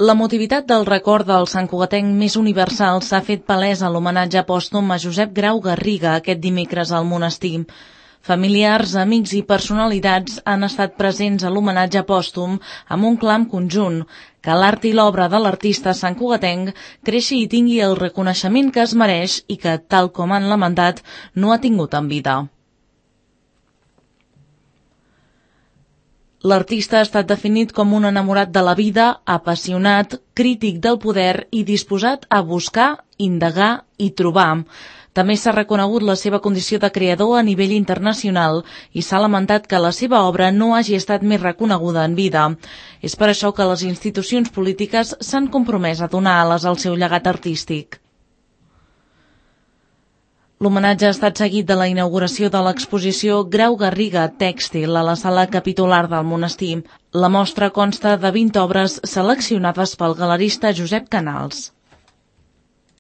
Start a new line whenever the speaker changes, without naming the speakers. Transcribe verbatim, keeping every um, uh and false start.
L'emotivitat del record del santcugatenc més universal s'ha fet palès a l'homenatge pòstum a Josep Grau Garriga aquest dimecres al monestir. Familiars, amics i personalitats han estat presents a l'homenatge pòstum amb un clam conjunt, que l'art i l'obra de l'artista santcugatenc creixi i tingui el reconeixement que es mereix i que, tal com han lamentat, no ha tingut en vida. L'artista ha estat definit com un enamorat de la vida, apassionat, crític del poder i disposat a buscar, indagar i trobar. També s'ha reconegut la seva condició de creador a nivell internacional i s'ha lamentat que la seva obra no hagi estat més reconeguda en vida. És per això que les institucions polítiques s'han compromès a donar ales al seu llegat artístic. L'homenatge ha estat seguit de la inauguració de l'exposició Grau Garriga Tèxtil a la sala capitular del monestir. La mostra consta de vint obres seleccionades pel galerista Josep Canals.